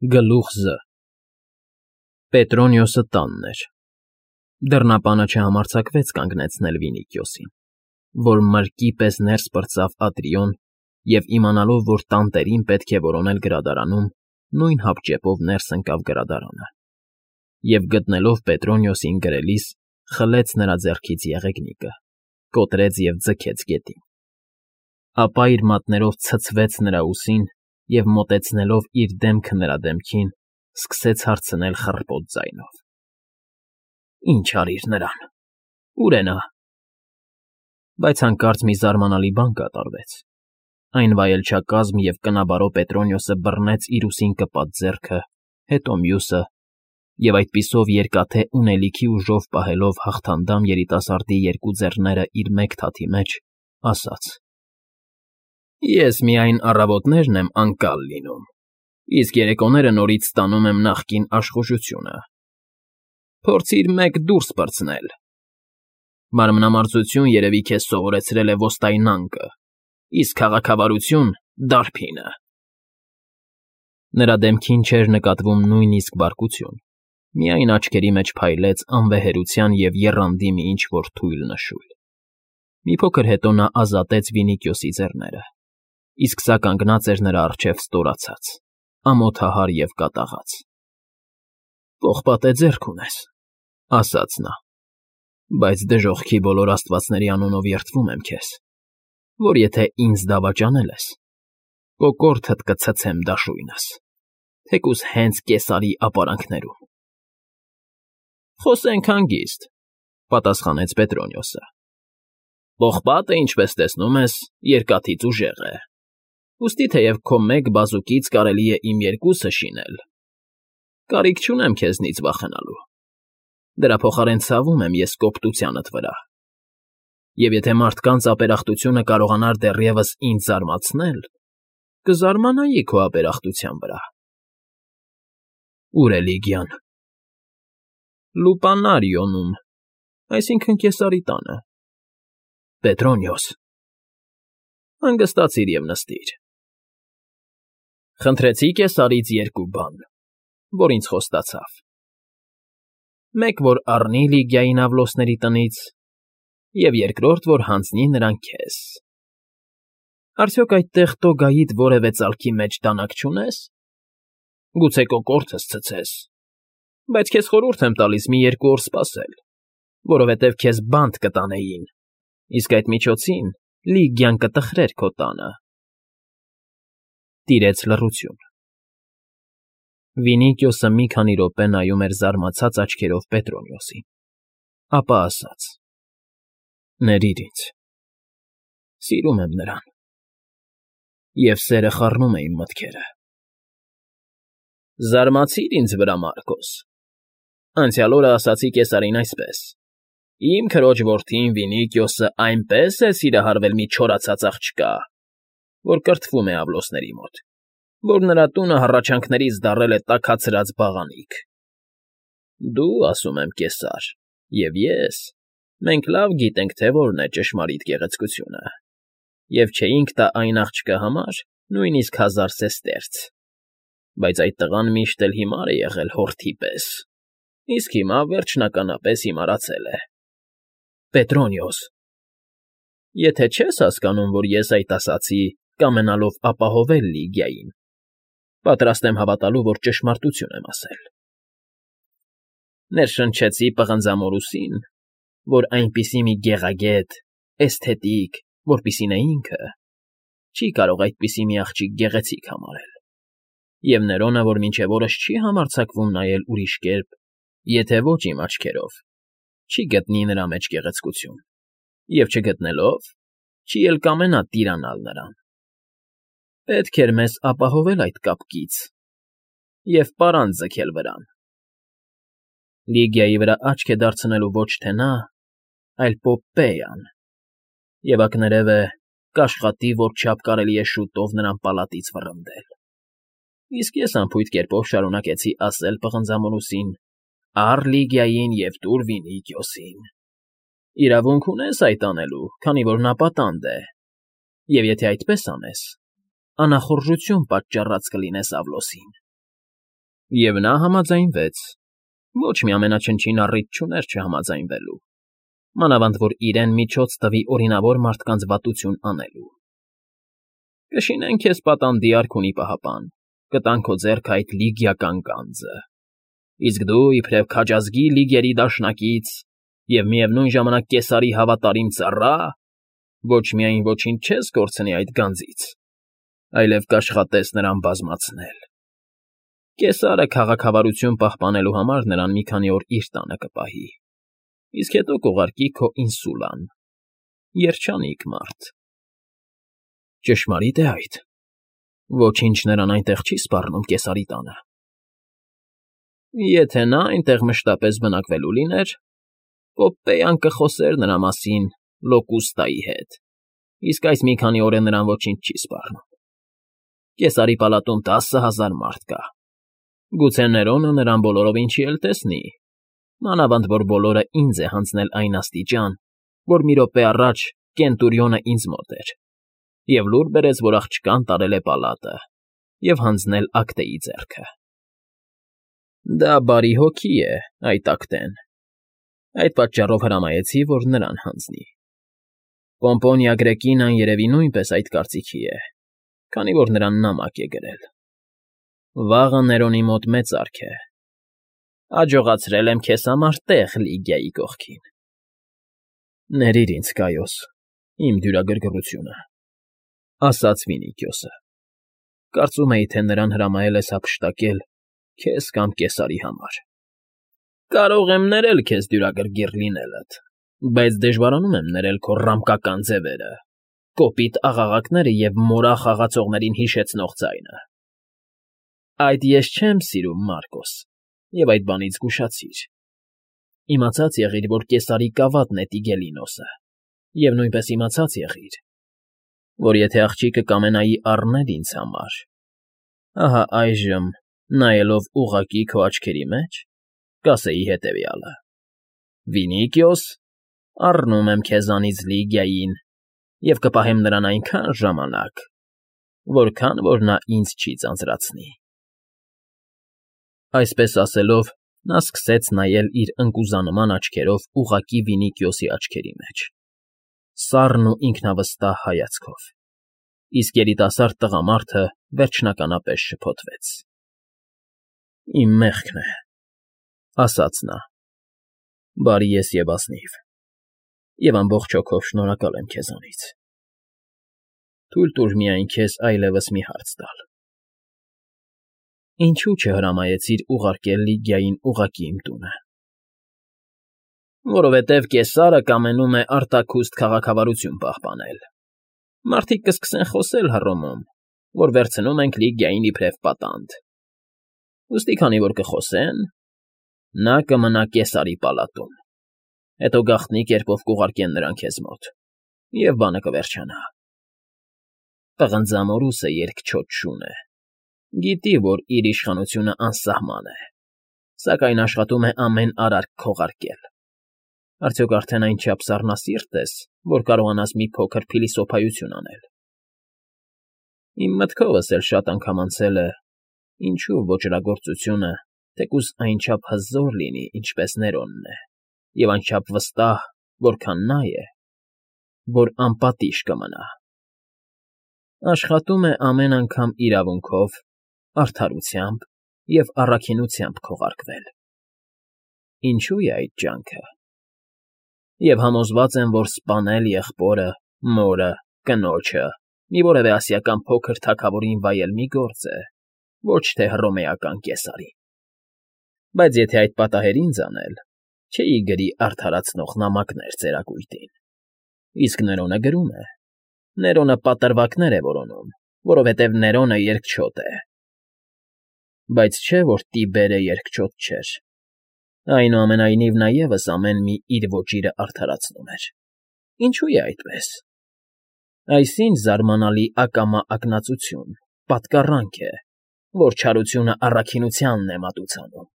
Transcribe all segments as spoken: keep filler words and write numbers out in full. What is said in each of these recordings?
Գլուխ Զ Պետրոնիոսը տանն էր։ Դռնապանը չհամարձակվեց կանգնեցնել Վինիքիոսին, որ մրրկի պես ներս պրծավ Ատրիոն և, իմանալով, որ տանտերին պետք է որոնել գրադարանում, նույն հապճեպով ներս ընկավ գրադարանը և, գտնելով Պետրոնիոսին գրելիս, խլեց նրա ձեռքից եղեգնիկը, կոտրեց և ձգեց գետին, ապա իր մատներով ցցվեց նրա ուսին և, մոտեցնելով իր դեմքը նրա դեմքին, սկսեց հարցնել խռպոտ ձայնով. ֊ Ի՞նչ արիր նրան, ո՞ւր է նա։ Բայց հանկարծ մի զարմանալի բան կատարվեց. այն վայելչակազմ և կնաբարո Պետրոնիոսը բռնեց իր ուսին կպած ձեռքը, հետո մյուսը և, այդպիսով երկաթե ունելիքի ուժով պահելով հաղթանդամ երիտասարդի երկու ձեռները իր մեկ թաթի մեջ, ասաց. ֊ Ես միայն առավոտներն եմ անկալ լինում, իսկ երեկոները նորից ստանում եմ նախկին աշխուժությունը. փորձիր մեկ դուրս պրծնել. մանմնամարզություն, երևի, քեզ սովորեցրել է ոստայնանկը, իսկ քաղաքավարություն՝ դարբինը… Նրա դեմքին չէր նկատվում նույնիսկ բարկություն, միայն աչքերի մեջ փայլեց անվեհերության և եռանդի մի ինչ֊որ թույլ նշույլ… Մի փոքր հետո նա ազատեց Վինիքիոսի ձեռները, իսկ սա կանգնած էր նրա առջև ստորացած, ամոթահար և կատաղած։ ֊ Պողպատե ձեռք ունես, ֊ ասաց նա, ֊ բայց դժոխքի բոլոր աստվածների անունով երդվում եմ քեզ, որ եթե ինձ դավաճանել ես, կոկորդդ կցցեմ դաշույնս, թեկուզ հենց կեսարի ապարանքներում… ֊ Խոսենք հանգիստ, ֊ պատասխանեց Պետրոնիոսը։ ֊ Պողպատը, ինչպես տեսնում ես, երկաթից ուժեղ է, ուստի թեև քո մեկ բազուկից կարելի է իմ երկուսը շինել, կարիք չունեմ քեզնից վախենալու, դրա փոխարեն ցավում եմ ես կոպտությանդ վրա, և եթե մարդկանց ապերախտությունը կարողանար դեռևս ինձ զարմացնել, կզարմանայի քո ապերախտության վրա… ֊ Ո՞ւր է Լիգիան։ ֊ Լուպանարիոնում, այսինքն՝ Կեսարի տանը։ ֊ Պետրոնիոս… Հանգստացիր և նստիր… Խնդրեցի Կեսարից երկու բան, որ ինձ խոստացավ. մեկ, որ առնի Լիգիային Ավլոսների տնից, և երկրորդ, որ հանձնի նրան քեզ… Արդյոք այդտեղ Տոգայիդ որևէ ծալքի մեջ դանակ չունե՞ս… Գուցե կոկորդս ցցես, բայց քեզ խորհուրդ եմ տալիս մի երկու օր սպասել, որովհետև քեզ բանտ կտանեին, իսկ այդ միջոցին Լիգիան կտխրեր քո տանը… Տիրեց լռություն։ Վինիքիոսը մի քանի րոպե նայում էր զարմացած աչքերով Պետրոնիոսին, ապա ասաց. ֊ Ներիր ինձ… Սիրում եմ նրան, և սերը խառնում է իմ մտքերը… ֊ Զարմացիր ինձ վրա, Մարկոս… Անցյալ օրը ասացի Կեսարին այսպես. «Իմ քրոջ որդին Վինիքիոսը այնպես է սիրահարվել մի չորացած աղջկա, որ կրթվում է Ավլոսների մոտ, որ նրա տունը հառաչանքներից դառել է տաքացրած բաղանիք… Դու, ասում եմ, Կեսար, և ես, մենք լավ գիտենք, թե որն է ճշմարիտ գեղեցկությունը, և չէինք տա այն աղջկա համար նույնիսկ հազար սեստերց, բայց այդ տղան միշտ էլ հիմար է եղել հորթի պես, իսկ հիմա, վերջնականապես, հիմարացել է… Պետրոնիոս… Եթե չես հասկանում, որ ես այդ ասացի, կամենալով ապահովել Լիգիային, պատրաստ եմ հավատալու, որ ճշմարտություն եմ ասել… Ներշնչեցի պղնձամորուսին, որ այնպիսի մի գեղագետ, էսթետիկ, որպիսի նա ինքը, չի կարող այդպիսի մի աղջիկ գեղեցիկ համարել, և Ներոնը, որ մինչև օրս չի համարձակվում նայել ուրիշ կերպ, եթե ոչ իմ աչքերով, չի գտնի նրա մեջ գեղեցկություն, և չգտնելով, չի էլ կամենա տիրանալ նրան… Պետք էր մեզ ապահովել այդ կապկից և պարան ձգել վրան… Լիգիայի վրա աչք է դարձնելու ոչ թե նա, այլ Պոպպեյան, և ակներևը, կաշխատի, որչափ կարելի է շուտով նրան պալատից վռնդել… Իսկ ես անփույթ կերպով շարունակեցի ասել պղնձամորուսին. «Առ Լիգիային և տուր Վինիքիոսին… Իրավունք ունես այդ անելու, քանի որ նա պատանդ է, և եթե այդպես անես, անախորժություն պատճառած կլինես Ավլոսին… Եվ նա համաձայնվեց, ոչ մի ամենաչնչին առիթ չուներ չհամաձայնվելու, մանավանդ որ իրեն միջոց տվի օրինավոր մարդկանց վատություն անելու։ Կշինեն քեզ պատանդի արքունի պահապան, կտան քո ձեռքը այդ լիգիական գանձը, իսկ դու, իբրև քաջազգի լիգերի դաշնակից և միևնույն ժամանակ կեսարի հավատարիմ ծառա, ոչ միայն ոչինչ չես կորցնի այդ գանձից, այլև կաշխատես նրան բազմացնել։ Կեսարը քաղաքավարություն պահպանելու համար նրան մի քանի օր իր տանը կպահի, իսկ հետո կուղարկի քո ինսուլան, երջանիկ մարդ։ Ճշմարիտ է այդ, ոչինչ նրան այնտեղ չի սպառնում կեսարի տանը։ Եթե նա այնտեղ մշտապես բնակվելու լիներ, Պոպպեյան կխոսեր նրա մասին Լոկուստայի հետ, իսկ այս մի քանի օր է նրան ոչինչ չի սպառնում։ Կեսարի պալատում տասը հազար մարդ կա, գուցե Ներոնը նրան բոլորովին չի էլ տեսնի, մանավանդ որ բոլորը ինձ է հանձնել այն աստիճան, որ մի րոպե առաջ Կենտուրիոնը ինձ մոտ էր և լուր բերեց, որ աղջկան տարել է պալատը և հանձնել Ակտեի ձեռքը։ Դա բարի հոգի է, այդ Ակտեն, այդ պատճառով հրամայեցի, որ նրան հանձնի։ Պոմպոնիա Գրեկինան երևի նույնպես այդ կարծիքի է, քանի որ նրան նամակ է գրել։ Վաղը Ներոնի մոտ մեծարք է։ Աջողացրել եմ քեզ համար տեղ Լիգիայի կողքին։ Ներիր ինձ, Կայոս, իմ դյուրագրգռությունը, ասաց Վինիքիոսը։ Կարծում էի, թե նրան հրամայել ես հափշտակել քեզ կամ կեսարի համար։ Կարող եմ ներել քեզ դյուրագրգիռ լինելդ, բայց դժվարանում եմ ներել քո ռամկական ձևերը, կոպիտ աղաղակները և մորախ խաղացողներին հիշեցնող ձայնը։ Այդ ես չեմ սիրում, Մարկոս, և այդ բանից զգուշացիր։ Իմացած եղիր, որ կեսարի կավատն է Տիգելինոսը, և նույնպես իմացած եղիր, որ եթե աղջիկը կամենայի առնել ինձ համար, ահա այժմ, նայելով ուղղակի քո աչքերի մեջ, կասեի հետևյալը. «Վինիքիոս, առնում եմ քեզանից Լիգիային և կպահեմ նրան այնքան ժամանակ, որքան որ նա ինձ չի ձանձրացնի»։ Այսպես ասելով, նա սկսեց նայել իր ընկուզանման աչքերով ուղղակի Վինիքիոսի աչքերի մեջ, սառն ու ինքնավստահ հայացքով, իսկ երիտասարդ տղամարդը վերջնականապես շփոթվեց։ «Իմ մեղքն է,֊ ասաց նա,֊ բարի ես և ազնիվ, և ամբողջ հոգով շնորհակալ եմ քեզանից։ Թույլ տուր միայն քեզ այլևս մի հարց տալ. ինչո՞ւ չհրամայեցիր ուղարկել Լիգիային ուղղակի իմ տունը։ Որովհետև Կեսարը կամենում է արտաքուստ քաղաքավարություն պահպանել։ Մարդիկ կսկսեն խոսել Հռոմում, որ վերցնում ենք Լիգիային իբրև պատանդ։ Ուստի քանի որ կխոսեն, նա կմնա Կեսարի պալատում, հետո գաղտնի կերպով կուղարկեն նրան քեզ մոտ, և բանը կվերջանա։ Պղնձամորուսը երկչոտ շուն է, գիտի, որ իր իշխանությունը անսահման է, սակայն աշխատում է ամեն արարք քողարկել։ Արդյոք արդեն այնչափ սառնասիրտ ես, որ կարողանաս մի փոքր փիլիսոփայություն անել։ Իմ մտքովս էլ շատ անգամ անցել է, ինչու ոճրագործությունը, թեկուզ այնչափ հզոր լինի, ինչպես Ներոնն է, և այնչափ վստահ, որքան նա է, որ անպատիժ կմնա։ Աշխատում է ամեն անգամ իրավունքով, արդարությամբ և առաքինությամբ քողարկվել։ Ինչո՞ւ է այդ ջանքը։ Եվ համոզված եմ, որ սպանել եղբորը, մորը, կնոջը, մի որևէ ասիական փոքր թագավորին վայել մի գործ է, ոչ թե հռոմեական կեսարին։ Բայց եթե այդ պատահեր ինձ անել, չէի գրի արդարացնող նամակներ ծերակույտին։ Իսկ Ներոնը գրում է։ Ներոնը պատրվակներ է որոնում, որովհետև Ներոնը երկչոտ է։ Բայց չէ, որ Տիբերը երկչոտ չէր։ Այնուամենայնիվ նա ևս ամեն մի իր ոճիրը արդարացնում էր։ Ինչո՞ւ է այդպես։ Այս ինչ զարմանալի ակամա ակնածություն, պատկառանք է, որ չարությունը առաքինությանն է մատուցանում։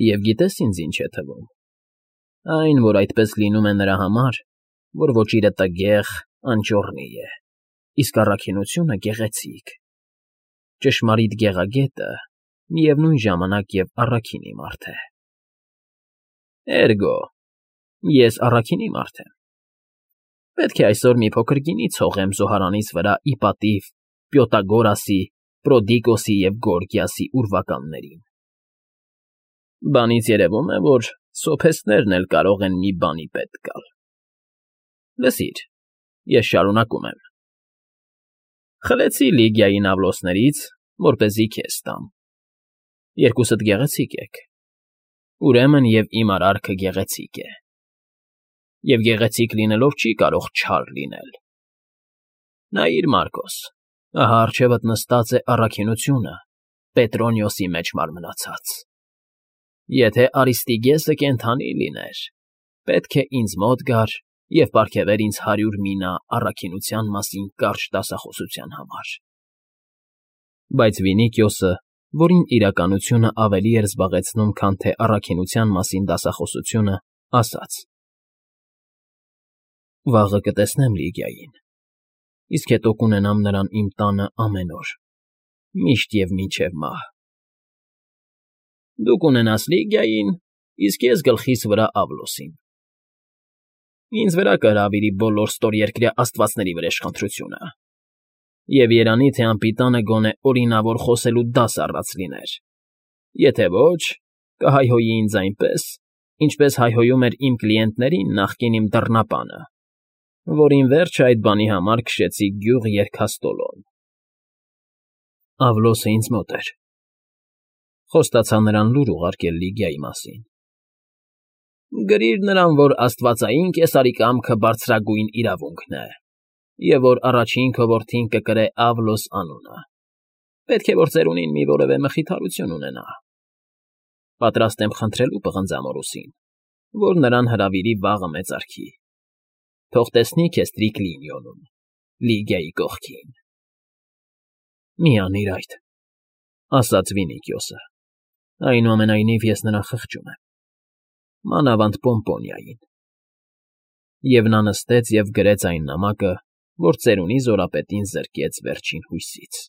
Եվ գիտե՞ս ինձ ինչ է թվում։ Այն, որ այդպես լինում է նրա համար, որ ոճիրը տգեղ, անճոռնի է, իսկ առաքինությունը գեղեցիկ։ Ճշմարիտ գեղագետը միևնույն ժամանակ և առաքինի մարդ է։ Էրգո, ես առաքինի մարդ եմ։ Պետք է այսօր մի փոքր գինի ցողեմ զոհարանիս վրա ի պատիվ Պյութագորասի, Պրոդիկոսի և Գորգիասի ուրվականներին։ Բանից երևում է, որ սոփեստներն էլ կարող են մի բանի պետք գալ։ Լսիր, ես շարունակում եմ. խլեցի Լիգիայի նավլոսներից, որպեսզի քեզ տամ։ Երկուսդ գեղեցիկ եք, ուրեմն և իմ արարքը գեղեցիկ է, և գեղեցիկ լինելով չի կարող չար լինել։ Նայիր, Մարկոս, ահա առջևդ նստած է առաքինությունը Պետրոնիոսի մեջ մարմնացած։ Եթե Արիստիգեսը կենդանի լիներ, պետք է ինձ մոտ գար և պարգևեր ինձ հարյուր մինա առաքինության մասին կարճ դասախոսության համար։ Բայց Վինիքիոսը, որին իրականությունը ավելի էր զբաղեցնում, քան թե առաքինության մասին դասախոսությունը, ասաց. Վաղը կտեսնեմ Լիգիային, իսկ հետո կունենամ նրան իմ տանը ամեն օր, միշտ և մինչև մահ։ Դու կունենաս Լիգիային, իսկ ես գլխիս վրա Ավլոսին։ Ինձ վրա կհրավիրի բոլոր ստորերկրյա աստվածների վրեժխնդրությունը, և երանի թե անպիտանը գոնե օրինավոր խոսելու դաս առած լիներ, եթե ոչ, կհայհոյի ինձ այնպես, ինչպես հայհոյում էր իմ կլիենտներին նախկին իմ դռնապանը, որին վերջը այդ բանի համար քշեցի գյուղ Երքաստոլոն։ Ավլոսը ինձ մոտ էր, խոստացա նրան լուր ուղարկել Լիգիայի մասին։ Գրիր նրան, որ աստվածային կեսարի կամքը բարձրագույն իրավունքն է, և որ առաջին քո որդին կկրե Ավլոս անունը, պետք է որ ծերունին մի որևէ մխիթարություն ունենա։ Պատրաստ եմ խնդրելու պղնձամորուսին, որ նրան հրավիրի վաղը մեծարքի, թող տեսնի քեզ Տրիկլինիոնում, Լիգիայի կողքին։ Մի անիր այդ, ասաց Վինիքիոսը, այնուամենայնիվ ես նրան խղճում եմ, մանավանդ Պոմպոնիային։ Եվ նա նստեց և գրեց այն նամակը, որ ծերունի զորապետին զրկեց վերջին հույսից։